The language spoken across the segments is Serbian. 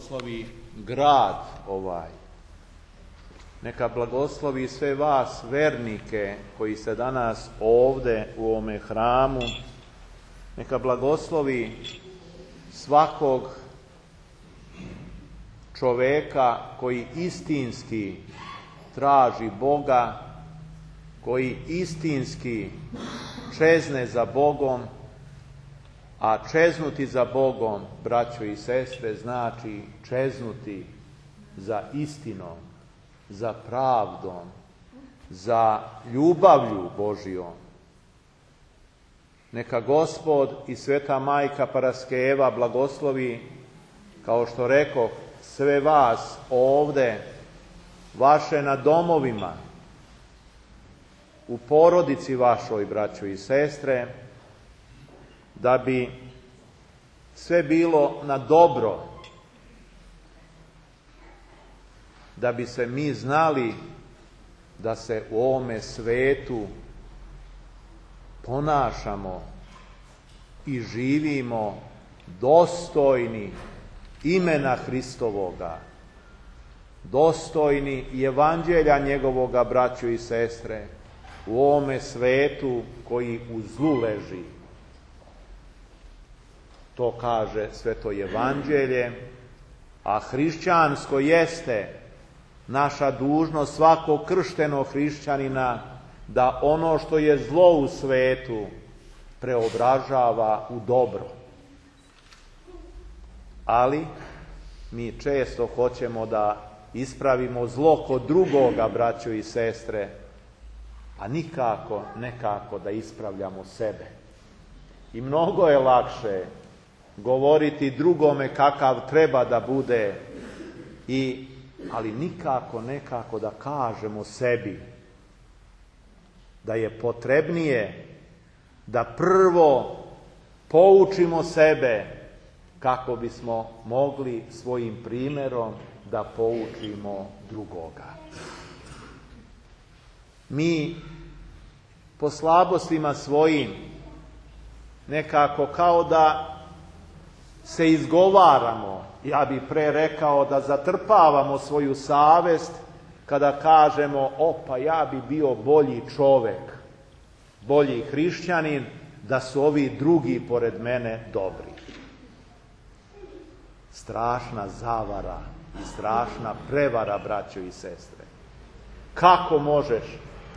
blagoslovi grad ovaj. Neka blagoslovi sve vas vernike koji ste danas ovde u ovome hramu. Neka blagoslovi svakog čoveka koji istinski traži Boga, koji istinski čezne za Bogom, a čeznuti za Bogom, braćo i sestre, znači čeznuti za istinom, za pravdom, za ljubavlju Božijom. Neka Gospod i Sveta Majka Paraskeva blagoslovi, kao što rekoh, sve vas ovde, vaše na domovima, u porodici vašoj, braćo i sestre, da bi sve bilo na dobro, da bi se mi znali da se u ovome svetu ponašamo i živimo dostojni imena Hristovoga, dostojni i evanđelja njegovoga, braćo i sestre, u ovome svetu koji u zlu leži. To kaže Sveto evanđelje, a hrišćansko jeste naša dužnost svakog krštenog hrišćanina da ono što je zlo u svetu preobražava u dobro. Ali mi često hoćemo da ispravimo zlo kod drugoga, braćo i sestre, a nekako da ispravljamo sebe. I mnogo je lakše govoriti drugome kakav treba da bude, ali nekako da kažemo sebi da je potrebnije da prvo poučimo sebe kako bismo mogli svojim primjerom da poučimo drugoga. Mi po slabostima svojim nekako kao da se izgovaramo, ja bih pre rekao da zatrpavamo svoju savest kada kažemo, pa ja bi bio bolji čovek, bolji hrišćanin, da su ovi drugi pored mene dobri. Strašna zavara i strašna prevara, braćo i sestre. Kako možeš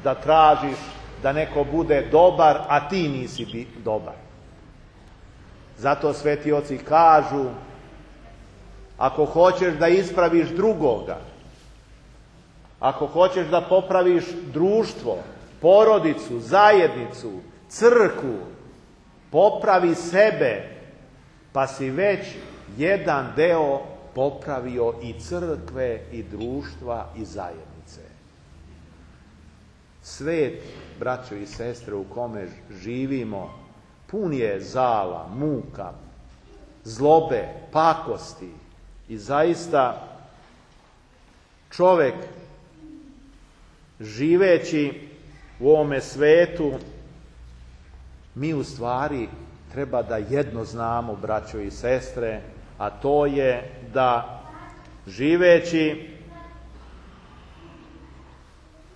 da tražiš da neko bude dobar, a ti nisi dobar? Zato sveti oci kažu, ako hoćeš da ispraviš drugoga, ako hoćeš da popraviš društvo, porodicu, zajednicu, crkvu, popravi sebe, pa si već jedan deo popravio i crkve, i društva, i zajednice. Svet, braćo i sestre, u kome živimo, pun je zala, muka, zlobe, pakosti i zaista čovek živeći u ovome svetu, mi u stvari treba da jedno znamo, braćo i sestre, a to je da živeći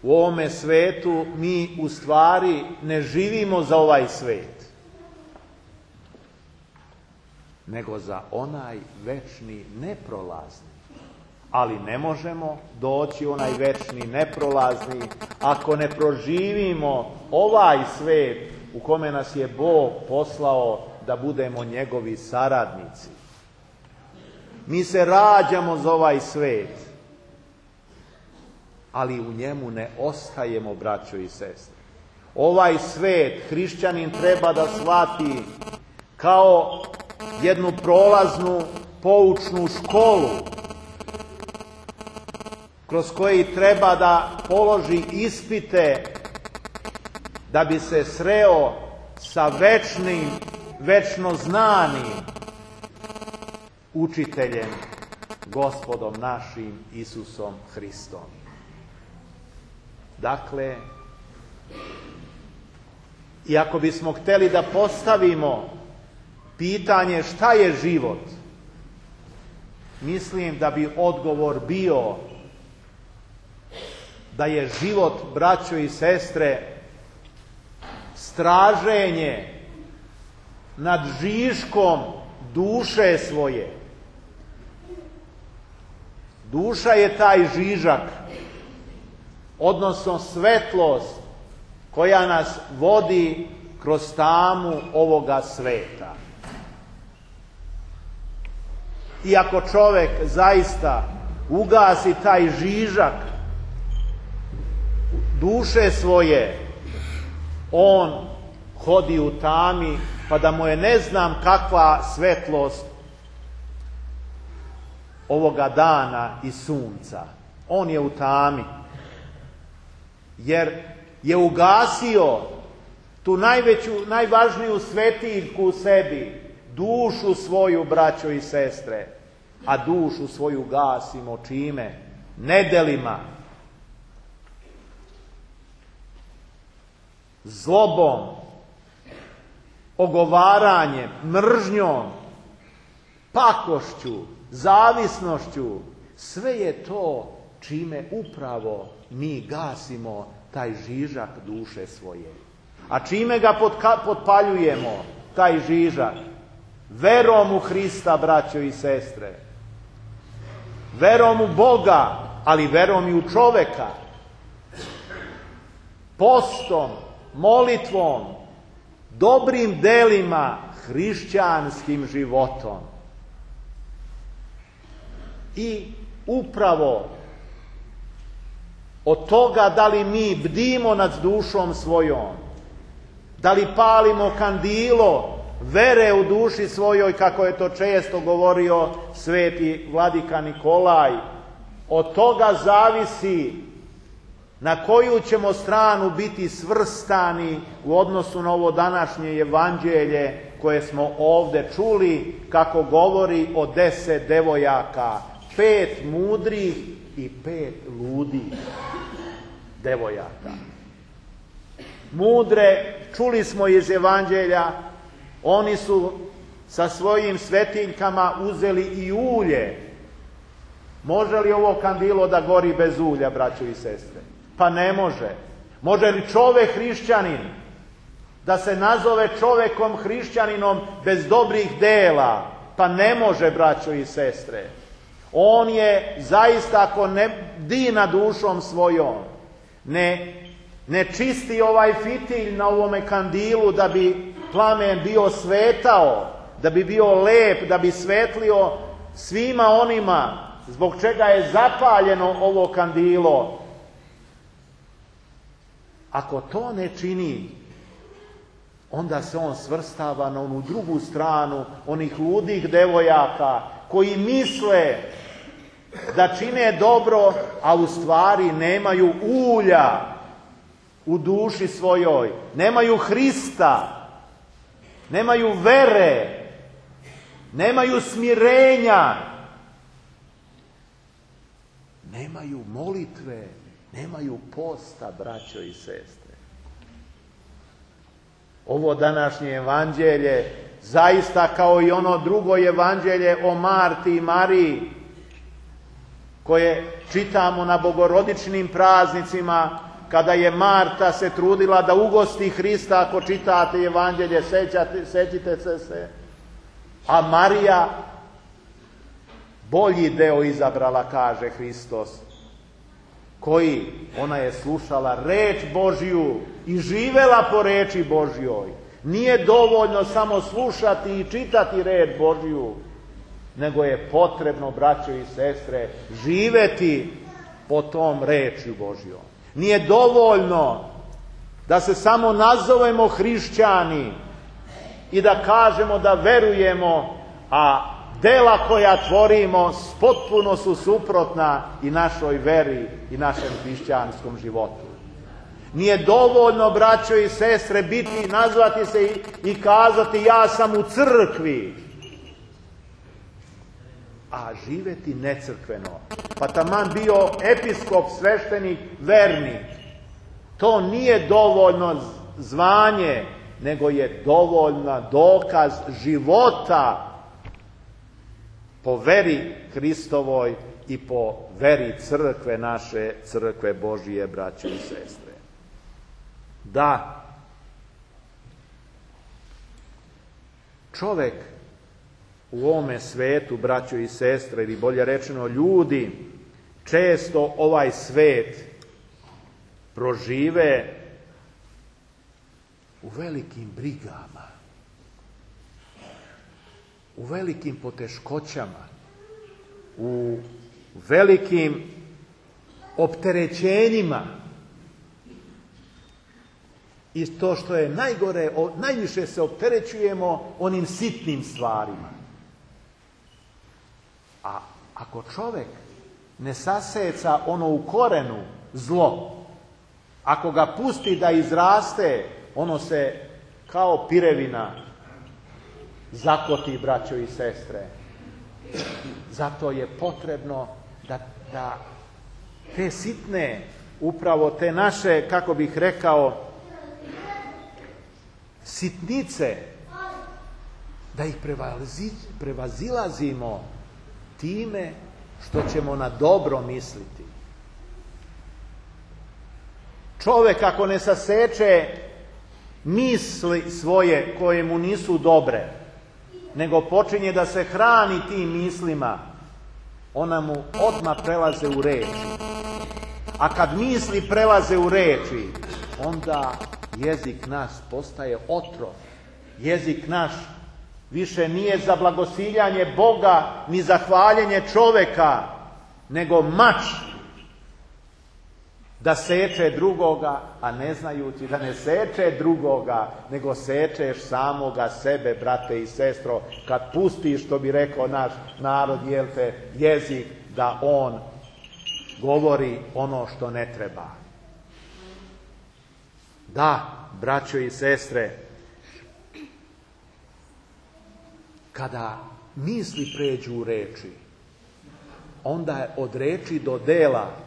u ovome svetu mi u stvari ne živimo za ovaj svet, nego za onaj večni neprolazni. Ali ne možemo doći u onaj večni neprolazni ako ne proživimo ovaj svet u kome nas je Bog poslao da budemo njegovi saradnici. Mi se rađamo za ovaj svet, ali u njemu ne ostajemo, braćo i sestre. Ovaj svet hrišćanin treba da shvati kao jednu prolaznu poučnu školu kroz koji treba da položi ispite da bi se sreo sa večnim, večno znanim učiteljem, Gospodom našim Isusom Hristom. Dakle, i ako bismo hteli da postavimo pitanje šta je život, mislim da bi odgovor bio da je život, braćo i sestre, straženje nad žiškom duše svoje. Duša je taj žižak, odnosno svetlost koja nas vodi kroz tamu ovoga sveta. I ako čovjek zaista ugasi taj žižak duše svoje, on hodi u tami, pa da mu je ne znam kakva svetlost ovoga dana i sunca. On je u tami, jer je ugasio tu najvažniju svetiljku u sebi, dušu svoju, braćo i sestre. A dušu svoju gasimo čime? Nedelima, zlobom, ogovaranjem, mržnjom, pakošću, zavisnošću. Sve je to čime upravo mi gasimo taj žižak duše svoje. A čime ga potpaljujemo, taj žižak? Verom u Hrista, braćo i sestre. Verom u Boga, ali verom i u čoveka. Postom, molitvom, dobrim delima, hrišćanskim životom. I upravo od toga da li mi bdimo nad dušom svojom, da li palimo kandilo vere u duši svojoj, kako je to često govorio sveti vladika Nikolaj, od toga zavisi na koju ćemo stranu biti svrstani u odnosu na ovo današnje evanđelje koje smo ovdje čuli, kako govori o 10 devojaka, 5 mudrih i 5 ludih devojaka. Mudre, čuli smo iz evanđelja, oni su sa svojim svetiljkama uzeli i ulje. Može li ovo kandilo da gori bez ulja, braćo i sestre? Pa ne može. Može li čovek hrišćanin da se nazove čovekom hrišćaninom bez dobrih dela? Pa ne može, braćo i sestre. On je zaista, ako ne bdi nad dušom svojom, ne čisti ovaj fitilj na ovome kandilu da bi plamen bio svetao, da bi bio lep, da bi svetlio svima onima zbog čega je zapaljeno ovo kandilo. Ako to ne čini, onda se on svrstava na onu drugu stranu onih ludih devojaka koji misle da čine dobro, a u stvari nemaju ulja u duši svojoj, nemaju Hrista, nemaju vere, nemaju smirenja, nemaju molitve, nemaju posta, braćo i sestre. Ovo današnje evanđelje, zaista kao i ono drugo evanđelje o Marti i Mariji, koje čitamo na bogorodičnim praznicima, kada je Marta se trudila da ugosti Hrista, ako čitate evanđelje, sećite se. A Marija bolji deo izabrala, kaže Hristos. Koji? Ona je slušala reč Božju i živela po reči Božjoj. Nije dovoljno samo slušati i čitati reč Božju, nego je potrebno, braćo i sestre, živeti po tom rečju Božjom. Nije dovoljno da se samo nazovemo hrišćani i da kažemo da verujemo, a dela koja tvorimo potpuno su suprotna i našoj veri i našem hrišćanskom životu. Nije dovoljno, braćo i sestre, nazvati se i kazati ja sam u crkvi, a živeti necrkveno. Pa taman bio episkop, sveštenik, vernik. To nije dovoljno zvanje, nego je dovoljna dokaz života po veri Hristovoj i po veri crkve naše, crkve Božije, braćo i sestre. Da, čovek u ovome svetu, braćo i sestre, ili bolje rečeno ljudi, često ovaj svet prožive u velikim brigama, u velikim poteškoćama, u velikim opterećenjima. I to što je najgore, najviše se opterećujemo onim sitnim stvarima. A ako čovjek ne saseca ono u korenu zlo, ako ga pusti da izraste, ono se kao pirevina zakoti, braćo i sestre. Zato je potrebno da te sitne, upravo te naše, kako bih rekao, sitnice, da ih prevazilazimo time što ćemo na dobro misliti. Čovjek ako ne saseče misli svoje koje mu nisu dobre, nego počinje da se hrani tim mislima, ona mu odmah prelaze u reči. A kad misli prelaze u reči, onda jezik naš postaje otrov. Jezik naš više nije za blagosiljanje Boga ni za hvaljenje čoveka, nego mač da seče drugoga, a ne znajući da ne seče drugoga, nego sečeš samoga sebe, brate i sestro, kad pustiš, što bi rekao naš narod, jezik, da on govori ono što ne treba. Da, braćo i sestre, kada misli pređu u reči, onda je od reči do dela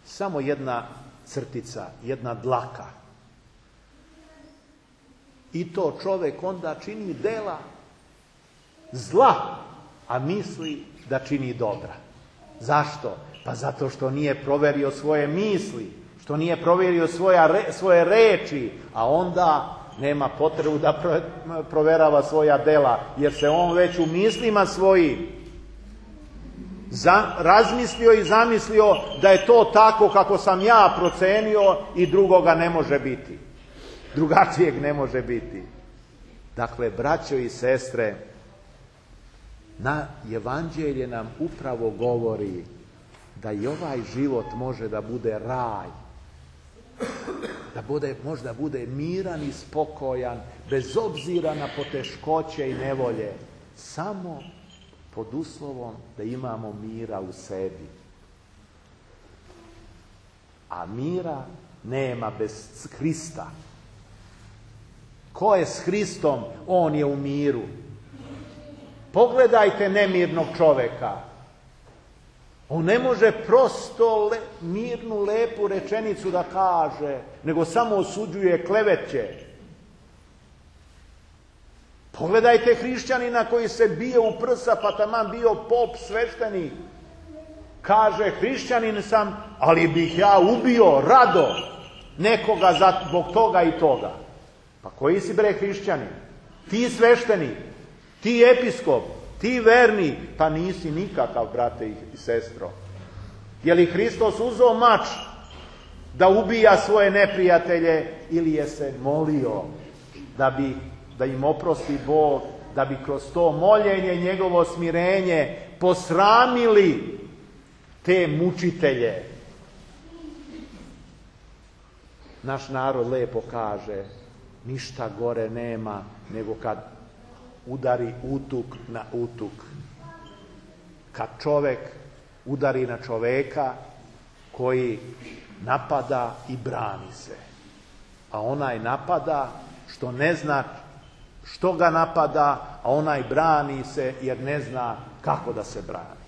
samo jedna crtica, jedna dlaka. I to čovjek onda čini dela zla, a misli da čini dobra. Zašto? Pa zato što nije proverio svoje misli, što nije provjerio svoje reči, a onda nema potrebu da proverava svoja dela, jer se on već u mislima svojim razmislio i zamislio da je to tako kako sam ja procenio i drugoga ne može biti. Drugačijeg ne može biti. Dakle, braćo i sestre, na Evanđelje nam upravo govori da i ovaj život može da bude raj, može da bude miran i spokojan, bez obzira na poteškoće i nevolje, samo pod uslovom da imamo mira u sebi. A mira nema bez Hrista. Ko je s Hristom, on je u miru. Pogledajte nemirnog čoveka. On ne može prosto mirnu, lepu rečenicu da kaže, nego samo osuđuje, kleveće. Pogledajte hrišćanina koji se bije u prsa, pa taman bio pop, sveštenik. Kaže, hrišćanin sam, ali bih ja ubio rado nekoga zbog toga i toga. Pa koji si bre hrišćanin? Ti sveštenik, ti episkop, ti verni, pa nisi nikakav, brate i sestro. Je li Hristos uzeo mač da ubija svoje neprijatelje ili je se molio da im oprosti Bog, da bi kroz to moljenje, njegovo smirenje posramili te mučitelje? Naš narod lepo kaže, ništa gore nema nego kad udari utuk na utuk. Kad čovjek udari na čovjeka koji napada i brani se. A onaj napada što ne zna što ga napada, a onaj brani se jer ne zna kako da se brani.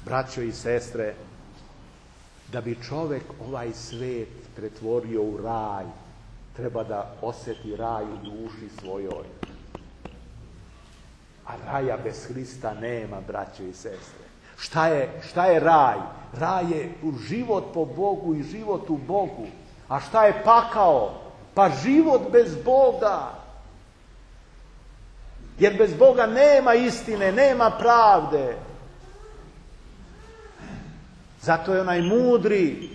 Braćo i sestre, da bi čovjek ovaj svet pretvorio u raj, treba da osjeti raj u duši svojoj. A A raja bez Hrista nema, braćo i sestre. Šta je raj? Raj je život po Bogu i život u Bogu. A šta je pakao? Pa život bez Boga. Jer bez Boga nema istine, nema pravde. Zato je onaj mudri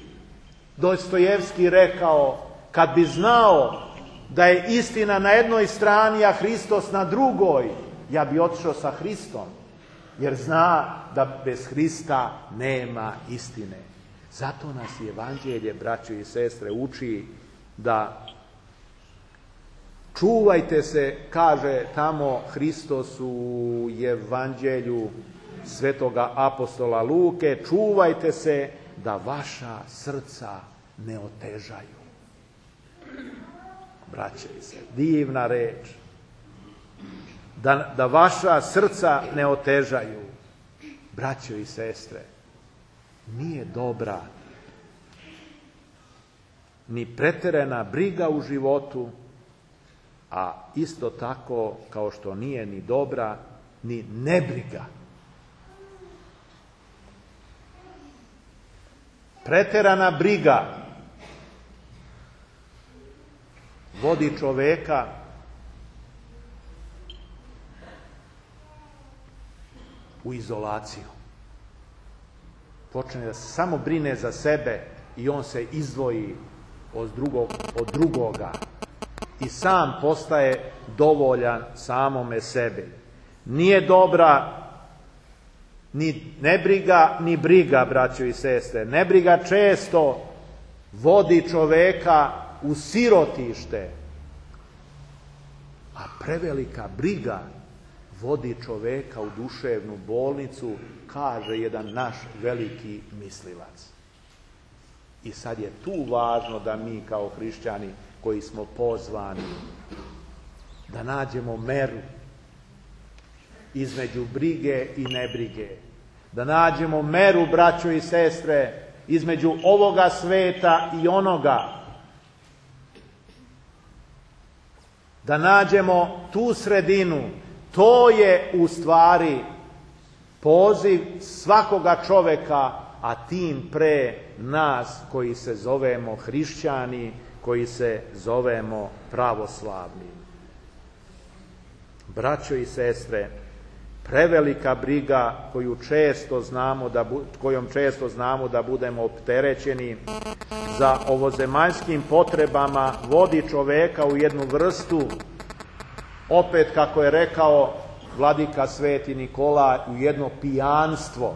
Dostojevski rekao, kad bi znao da je istina na jednoj strani, a Hristos na drugoj, ja bi otišao sa Hristom. Jer zna da bez Hrista nema istine. Zato nas Evanđelje, braćo i sestre, uči da čuvajte se, kaže tamo Hristos u Evanđelju svetoga apostola Luke, čuvajte se da vaša srca ne otežaju. Braće i sestre, divna reč. Da vaša srca ne otežaju. Braćo i sestre, nije dobra ni pretjerana briga u životu, a isto tako kao što nije ni dobra ni nebriga. Pretjerana briga vodi čoveka u izolaciju. Počne da se samo brine za sebe i on se izdvoji od drugoga i sam postaje dovoljan samome sebi. Nije dobra ni nebriga, ni briga, braćo i sestre. Nebriga često vodi čoveka u sirotište, a prevelika briga vodi čoveka u duševnu bolnicu, kaže jedan naš veliki mislilac. I sad je tu važno da mi kao hrišćani koji smo pozvani da nađemo meru između brige i nebrige. Da nađemo meru, braćo i sestre, između ovoga sveta i onoga. Da nađemo tu sredinu. To je u stvari poziv svakoga čoveka, a tim pre nas koji se zovemo hrišćani, koji se zovemo pravoslavni. Braćo i sestre, prevelika briga kojom često znamo da budemo opterećeni za ovozemaljskim potrebama vodi čoveka u jednu vrstu, opet kako je rekao vladika Sveti Nikola, u jedno pijanstvo.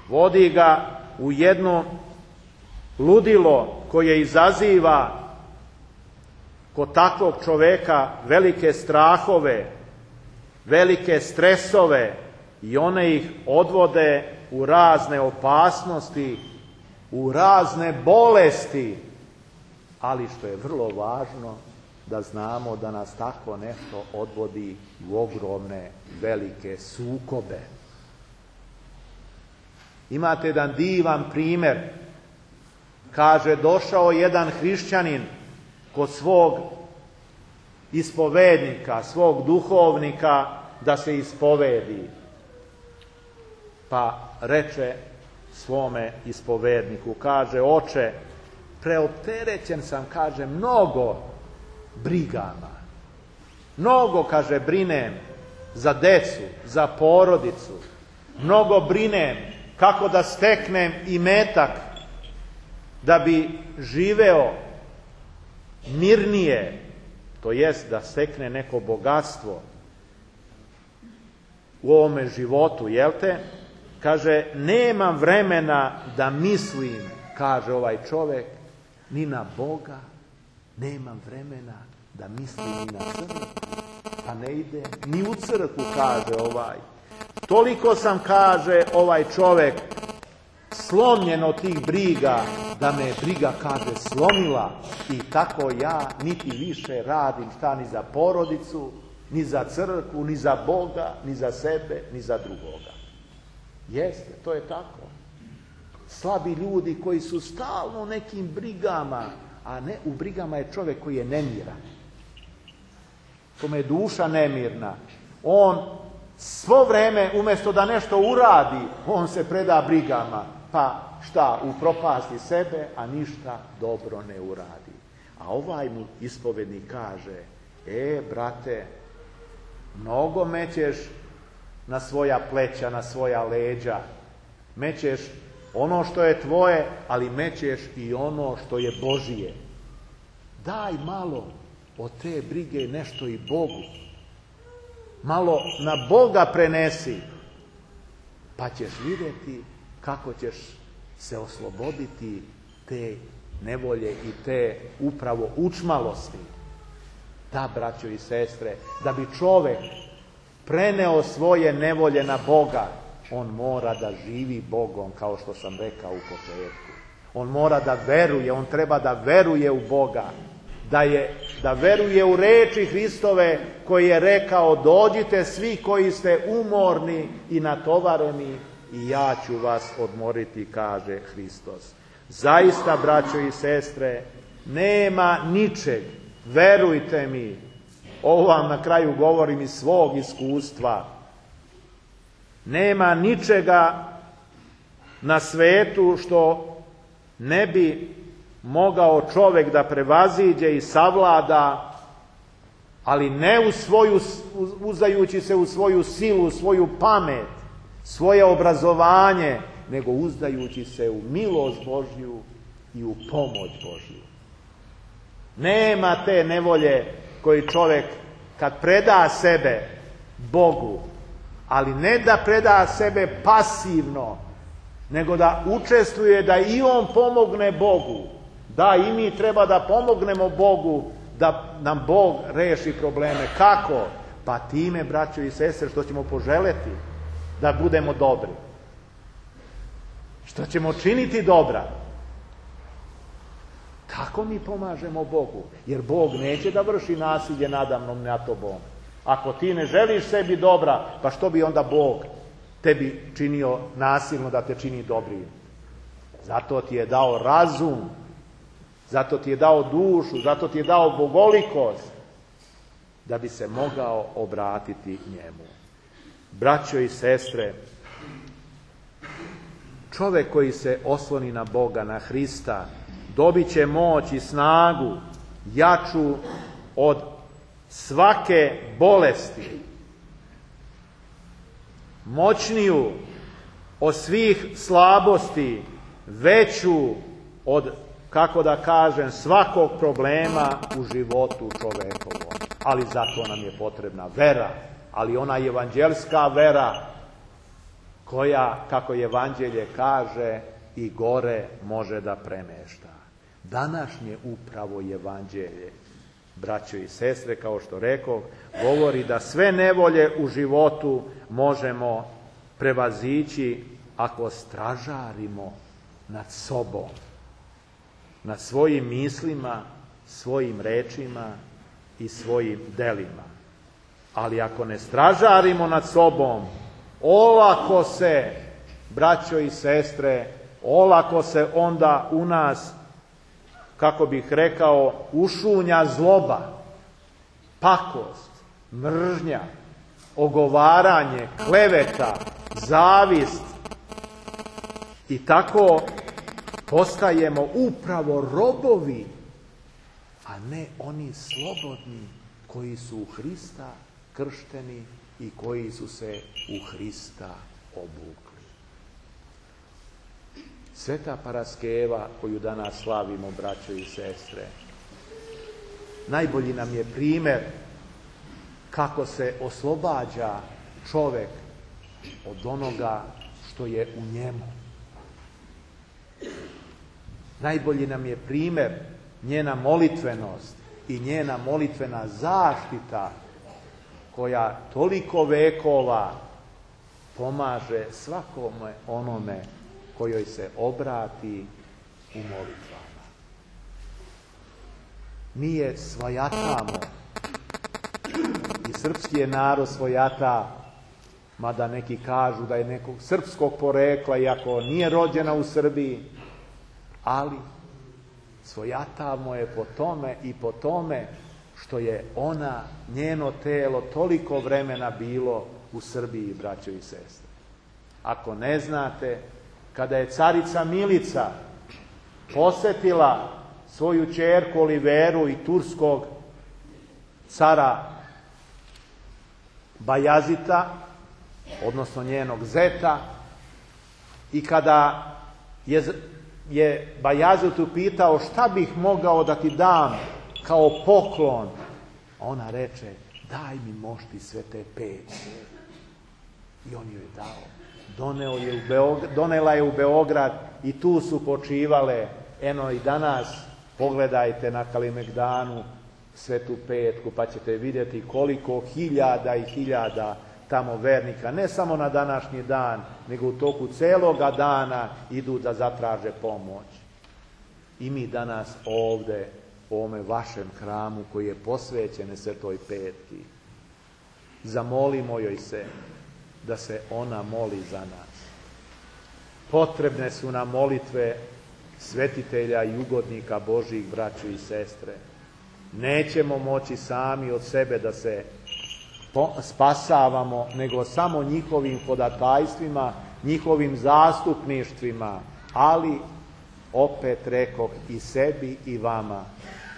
Vodi ga u jedno ludilo koje izaziva kod takvog čoveka velike strahove, velike stresove i one ih odvode u razne opasnosti, u razne bolesti, ali što je vrlo važno da znamo da nas tako nešto odvodi u ogromne, velike sukobe. Imate jedan divan primjer. Kaže, došao jedan hrišćanin kod svog ispovednika, svog duhovnika da se ispovedi. Pa reče svome ispovedniku, kaže, oče, preopterećen sam, kaže, mnogo brigama. Mnogo, kaže, brinem za decu, za porodicu. Mnogo brinem kako da steknem imetak da bi živeo mirnije, to jest da stekne neko bogatstvo u ovome životu, jel te? Kaže, nemam vremena da mislim, kaže ovaj čovjek, ni na Boga, nemam vremena da mislim ni na crkvu, pa ne ide ni u crkvu, kaže ovaj. Toliko sam, kaže ovaj čovjek, slomljen od tih briga, da me briga, kaže, slomila i tako ja niti više radim šta ni za porodicu, ni za crkvu, ni za Boga, ni za sebe, ni za drugoga. Jeste, to je tako. Slabi ljudi koji su stalno u nekim brigama, a ne u brigama je čovjek koji je nemiran. kome je duša nemirna, on svo vreme, umjesto da nešto uradi, on se preda brigama, pa šta, upropasti sebe, a ništa dobro ne uradi. A ovaj mu ispovednik kaže, brate, mnogo mećeš na svoja pleća, na svoja leđa, mećeš ono što je tvoje, ali mećeš i ono što je Božije. Daj malo od te brige nešto i Bogu. Malo na Boga prenesi, pa ćeš vidjeti kako ćeš se osloboditi te nevolje i te upravo učmalosti. Da, braćo i sestre, da bi čovjek preneo svoje nevolje na Boga, on mora da živi Bogom, kao što sam rekao u početku. On mora da veruje, on treba da veruje u Boga, da veruje u reči Hristove koji je rekao, dođite svi koji ste umorni i natovareni i ja ću vas odmoriti, kaže Hristos. Zaista, braćo i sestre, nema ničeg, verujte mi, ovo vam na kraju govorim iz svog iskustva, nema ničega na svetu što ne bi mogao čovjek da prevaziđe i savlada, ali ne uzdajući se u svoju silu, u svoju pamet, svoje obrazovanje, nego uzdajući se u milost Božju i u pomoć Božju. Nema te nevolje koji čovjek kad preda sebe Bogu, ali ne da preda sebe pasivno, nego da učestvuje, da i on pomogne Bogu. Da, i mi treba da pomognemo Bogu, da nam Bog reši probleme. Kako? Pa time, braćo i sestre, što ćemo poželeti da budemo dobri. Što ćemo činiti dobra. Tako mi pomažemo Bogu. Jer Bog neće da vrši nasilje nadamnom nad tobom. Ako ti ne želiš sebi dobra, pa što bi onda Bog tebi činio nasilno da te čini dobrim? Zato ti je dao razum, zato ti je dao dušu, zato ti je dao bogolikost, da bi se mogao obratiti njemu. Braćo i sestre, čovjek koji se osloni na Boga, na Hrista, dobit će moć i snagu jaču od svake bolesti, moćniju od svih slabosti, veću od, kako da kažem, svakog problema u životu čovekovom. Ali zato nam je potrebna vera, ali ona evanđelska vera koja, kako evanđelje kaže, i gore može da premešta. Današnje upravo evanđelje, braćo i sestre, kao što rekao, govori da sve nevolje u životu možemo prevazići ako stražarimo nad sobom, nad svojim mislima, svojim rečima i svojim delima. Ali ako ne stražarimo nad sobom, olako se, braćo i sestre, olako se onda u nas, kako bih rekao, ušunja zloba, pakost, mržnja, ogovaranje, kleveta, zavist, i tako postajemo upravo robovi, a ne oni slobodni koji su u Hrista kršteni i koji su se u Hrista obukli. Sveta Paraskeva koju danas slavimo, braćo i sestre, najbolji nam je primjer kako se oslobađa čovjek od onoga što je u njemu. Najbolji nam je primjer njena molitvenost i njena molitvena zaštita koja toliko vekova pomaže svakome onome kojoj se obrati u molitvama. Mi je svojatamo i srpski je narod svojata, mada neki kažu da je nekog srpskog porekla, iako nije rođena u Srbiji, ali svojatamo je po tome i po tome što je ona, njeno telo, toliko vremena bilo u Srbiji, braćo i sestre. Ako ne znate, kada je carica Milica posetila svoju ćerku Oliveru i turskog cara Bajazita, odnosno njenog zeta, i kada je Bajazit upitao šta bih mogao da ti dam kao poklon, ona reče, daj mi mošti Svete Petke. I on joj dao. Donela je u Beograd i tu su počivale. Eno i danas pogledajte na Kalemegdanu Svetu Petku, pa ćete vidjeti koliko hiljada i hiljada tamo vernika, ne samo na današnji dan, nego u toku celoga dana idu da zatraže pomoć. I mi danas ovde, u ovome vašem hramu koji je posvećen Svetoj Petki, zamolimo joj se da se ona moli za nas. Potrebne su nam molitve svetitelja i ugodnika Božjih, braćo i sestre. Nećemo moći sami od sebe da se spasavamo, nego samo njihovim hodatajstvima, njihovim zastupništvima, ali opet rekoh i sebi i vama,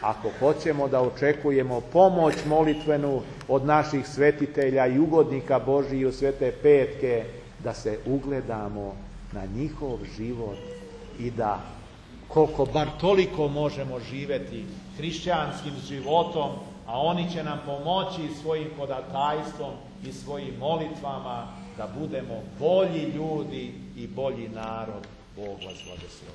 ako hoćemo da očekujemo pomoć molitvenu od naših svetitelja i ugodnika Božiji u Svete Petke, da se ugledamo na njihov život i da koliko bar toliko možemo živeti hrišćanskim životom, a oni će nam pomoći svojim hodatajstvom i svojim molitvama da budemo bolji ljudi i bolji narod. Bog vas blagoslovi.